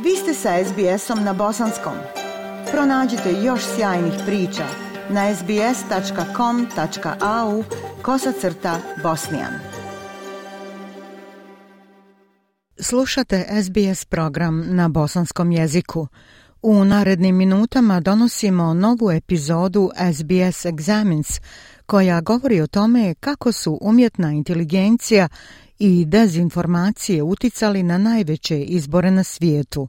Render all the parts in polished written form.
Vi ste sa SBS-om na bosanskom. Pronađite još sjajnih priča na sbs.com.au/bosnijan. Slušate SBS program na bosanskom jeziku. U narednim minutama donosimo novu epizodu SBS Examines, koja govori o tome kako su umjetna inteligencija i dezinformacije uticali na najveće izbore na svijetu.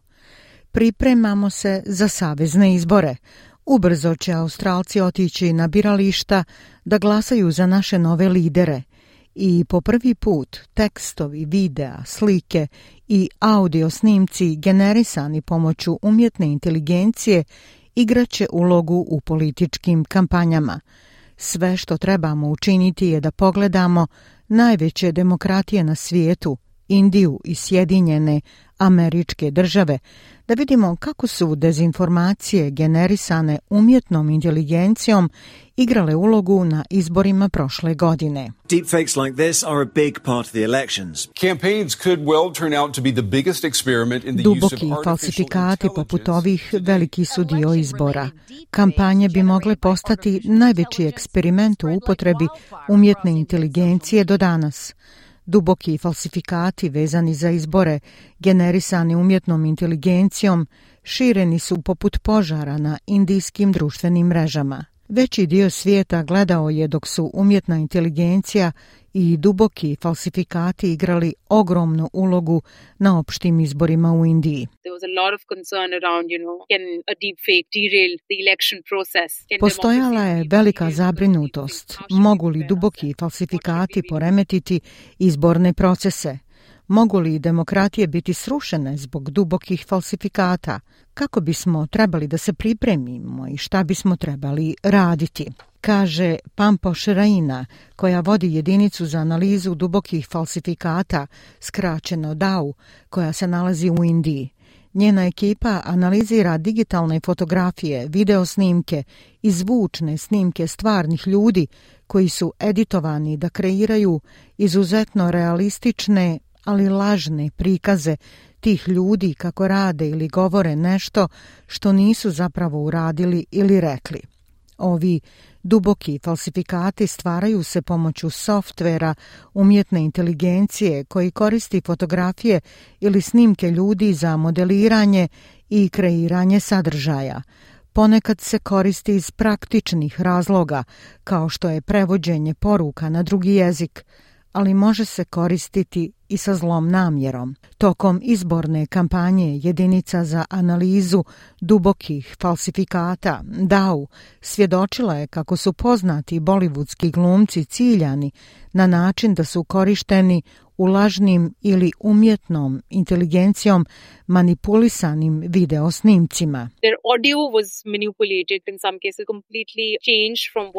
Pripremamo se za savezne izbore. Ubrzo će Australci otići na birališta da glasaju za naše nove lidere. I po prvi put tekstovi, videa, slike i audio snimci generisani pomoću umjetne inteligencije igraće ulogu u političkim kampanjama. Sve što trebamo učiniti je da pogledamo najveće demokratije na svijetu, Indiju i Sjedinjene Američke Države, da vidimo kako su dezinformacije generisane umjetnom inteligencijom igrale ulogu na izborima prošle godine. Deepfakes like this are a big part of the elections. Campaigns could well turn out to be the biggest experiment in the use of Duboki falsifikati poput ovih veliki su dio izbora. Kampanje bi mogle postati najveći eksperiment u upotrebi umjetne inteligencije do danas. Duboki falsifikati vezani za izbore, generisani umjetnom inteligencijom, šireni su poput požara na indijskim društvenim mrežama. Veći dio svijeta gledao je dok su umjetna inteligencija i duboki falsifikati igrali ogromnu ulogu na opštim izborima u Indiji. Postojala je velika zabrinutost. Mogu li duboki falsifikati poremetiti izborne procese? Mogu li demokratije biti srušene zbog dubokih falsifikata? Kako bismo trebali da se pripremimo i šta bismo trebali raditi? Kaže Pampoš Raina, koja vodi jedinicu za analizu dubokih falsifikata, skraćeno DAU, koja se nalazi u Indiji. Njena ekipa analizira digitalne fotografije, video snimke i zvučne snimke stvarnih ljudi koji su editovani da kreiraju izuzetno realistične, ali lažne prikaze tih ljudi kako rade ili govore nešto što nisu zapravo uradili ili rekli. Ovi duboki falsifikati stvaraju se pomoću softvera umjetne inteligencije koji koristi fotografije ili snimke ljudi za modeliranje i kreiranje sadržaja. Ponekad se koristi iz praktičnih razloga, kao što je prevođenje poruka na drugi jezik, ali može se koristiti i sa zlom namjerom. Tokom izborne kampanje jedinica za analizu dubokih falsifikata, DAU, svjedočila je kako su poznati bolivudski glumci ciljani na način da su korišteni u lažnim ili umjetnom inteligencijom manipulisanim video snimcima.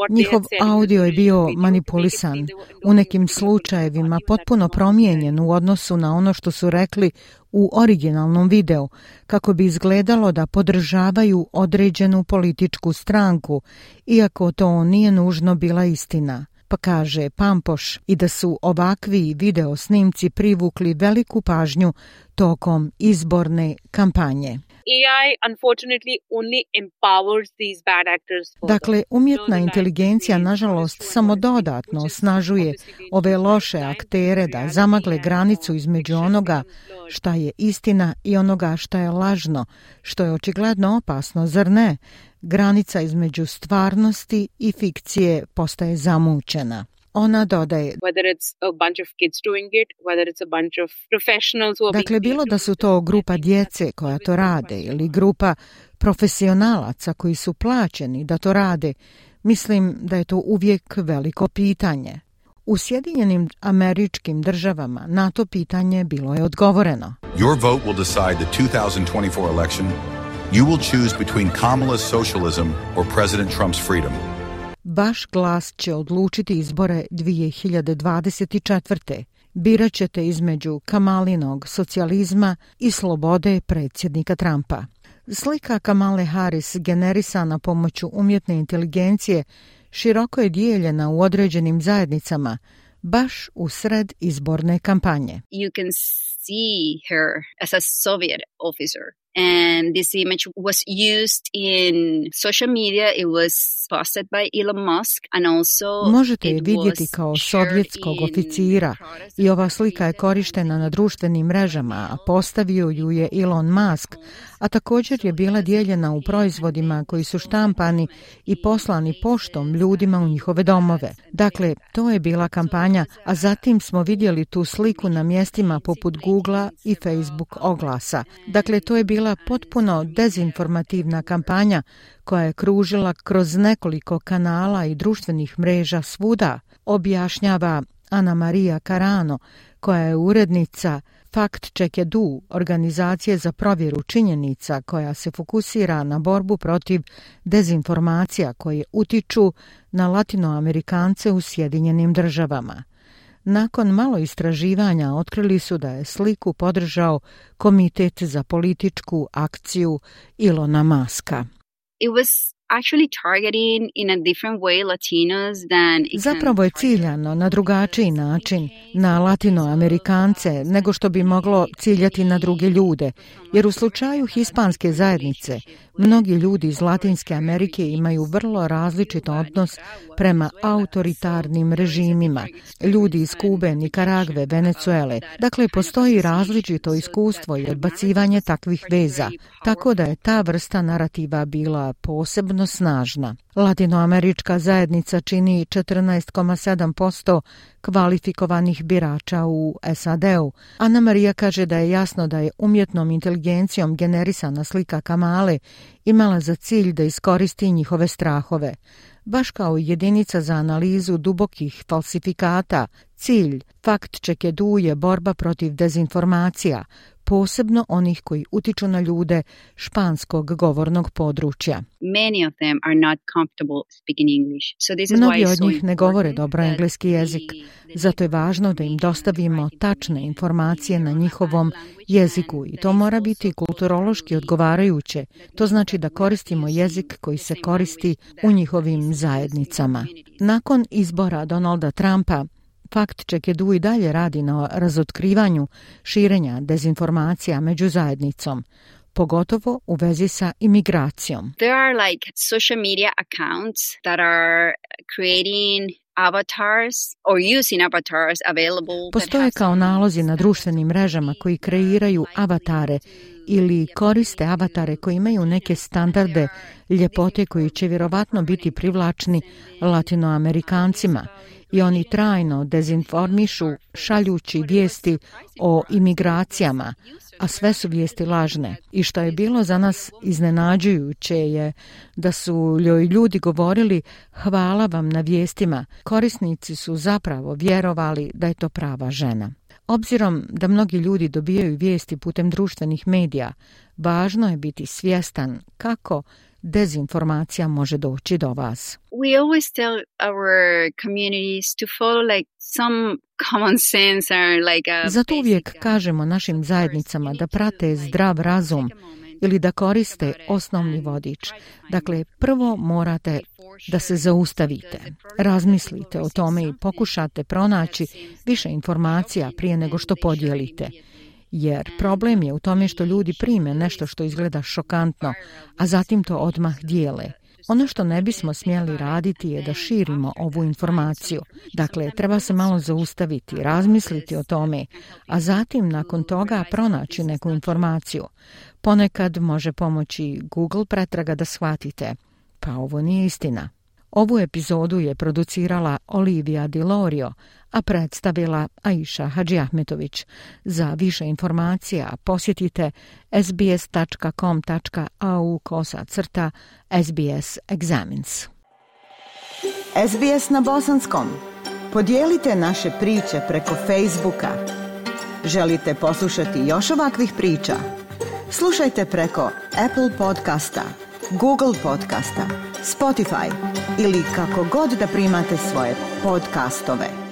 Njihov audio je bio manipulisan, u nekim slučajevima potpuno promijenjen u odnosu na ono što su rekli u originalnom videu, kako bi izgledalo da podržavaju određenu političku stranku, iako to nije nužno bila istina. Pa kaže Pampoš i da su ovakvi video snimci privukli veliku pažnju tokom izborne kampanje. Dakle, umjetna inteligencija nažalost samo dodatno osnažuje ove loše aktere da zamagle granicu između onoga šta je istina i onoga šta je lažno, što je očigledno opasno, zar ne? Granica između stvarnosti i fikcije postaje zamućena. Ona dodaje, dakle, bilo da su to grupa djece koja to rade ili grupa profesionalaca koji su plaćeni da to rade, mislim da je to uvijek veliko pitanje. U Sjedinjenim Američkim Državama na to pitanje bilo je odgovoreno. Your vote will decide the 2024 election. You will choose between Kamala's socialism or President Trump's freedom. Vaš glas će odlučiti izbore 2024. Birat ćete između Kamalinog socijalizma i slobode predsjednika Trumpa. Slika Kamale Harris generisana pomoću umjetne inteligencije široko je dijeljena u određenim zajednicama, baš u sred izborne kampanje. You can see her as a Soviet officer And this image was used in social media. It was posted by Elon Musk and also možete je vidjeti kao sovjetskog oficira i ova slika je korištena na društvenim mrežama, a postavio ju je Elon Musk, a također je bila dijeljena u proizvodima koji su štampani i poslani poštom ljudima u njihove domove. Dakle, to je bila kampanja, a zatim smo vidjeli tu sliku na mjestima poput Googlea i Facebook oglasa. Dakle, to je bila potpuno dezinformativna kampanja koja je kružila kroz nekoliko kanala i društvenih mreža svuda, objašnjava Ana Maria Carano, koja je urednica Fact Check Edu, organizacije za provjeru činjenica koja se fokusira na borbu protiv dezinformacija koje utiču na Latinoamerikance u Sjedinjenim Državama. Nakon malo istraživanja otkrili su da je sliku podržao Komitet za političku akciju Elona Muska. It was actually targeting in a different way Latinos than Zapravo je ciljano na drugačiji način na Latinoamerikance nego što bi moglo ciljati na druge ljude, jer u slučaju hispanske zajednice mnogi ljudi iz Latinske Amerike imaju vrlo različit odnos prema autoritarnim režimima. Ljudi iz Kube, Nikaragve, Venezuele. Dakle, postoji različito iskustvo i odbacivanje takvih veza, tako da je ta vrsta narativa bila posebno snažna. Latinoamerička zajednica čini 14,7% kvalifikovanih birača u SAD-u. Ana Maria kaže da je jasno da je umjetnom inteligencijom generisana slika Kamale imala za cilj da iskoristi njihove strahove. Baš kao jedinica za analizu dubokih falsifikata, cilj Fact Check Edu je borba protiv dezinformacija, posebno onih koji utiču na ljude španskog govornog područja. Mnogi od njih ne govore dobro engleski jezik, zato je važno da im dostavimo tačne informacije na njihovom jeziku i to mora biti kulturološki odgovarajuće. To znači da koristimo jezik koji se koristi u njihovim zajednicama. Nakon izbora Donalda Trumpa, Fact Check Edu i dalje radi na razotkrivanju širenja dezinformacija među zajednicom, pogotovo u vezi sa imigracijom. There are like social media accounts that are creating avatars or using avatars available. Postoje kao nalozi na društvenim mrežama koji kreiraju avatare ili koriste avatare koji imaju neke standarde ljepote koji će vjerovatno biti privlačni Latinoamerikancima. I oni trajno dezinformišu šaljući vijesti o imigracijama, a sve su vijesti lažne. I što je bilo za nas iznenađujuće je da su joj ljudi govorili hvala vam na vijestima. Korisnici su zapravo vjerovali da je to prava žena. Obzirom da mnogi ljudi dobijaju vijesti putem društvenih medija, važno je biti svjestan kako dezinformacija može doći do vas. We always tell our communities to follow like some common sense or like a Zato uvijek kažemo našim zajednicama da prate zdrav razum ili da koriste osnovni vodič. Dakle, prvo morate da se zaustavite, razmislite o tome i pokušate pronaći više informacija prije nego što podijelite. Jer problem je u tome što ljudi prime nešto što izgleda šokantno, a zatim to odmah dijele. Ono što ne bismo smjeli raditi je da širimo ovu informaciju. Dakle, treba se malo zaustaviti, razmisliti o tome, a zatim nakon toga pronaći neku informaciju. Ponekad može pomoći Google pretraga da shvatite, pa ovo nije istina. Ovu epizodu je producirala Olivia Dilorio, a predstavila Aisha Hadžiahmetović. Za više informacija posjetite sbs.com.au/SBS Examines. SBS na bosanskom. Podijelite naše priče preko Facebooka. Želite poslušati još ovakvih priča? Slušajte preko Apple podcasta, Google podcasta, Spotify ili kako god da primate svoje podcastove.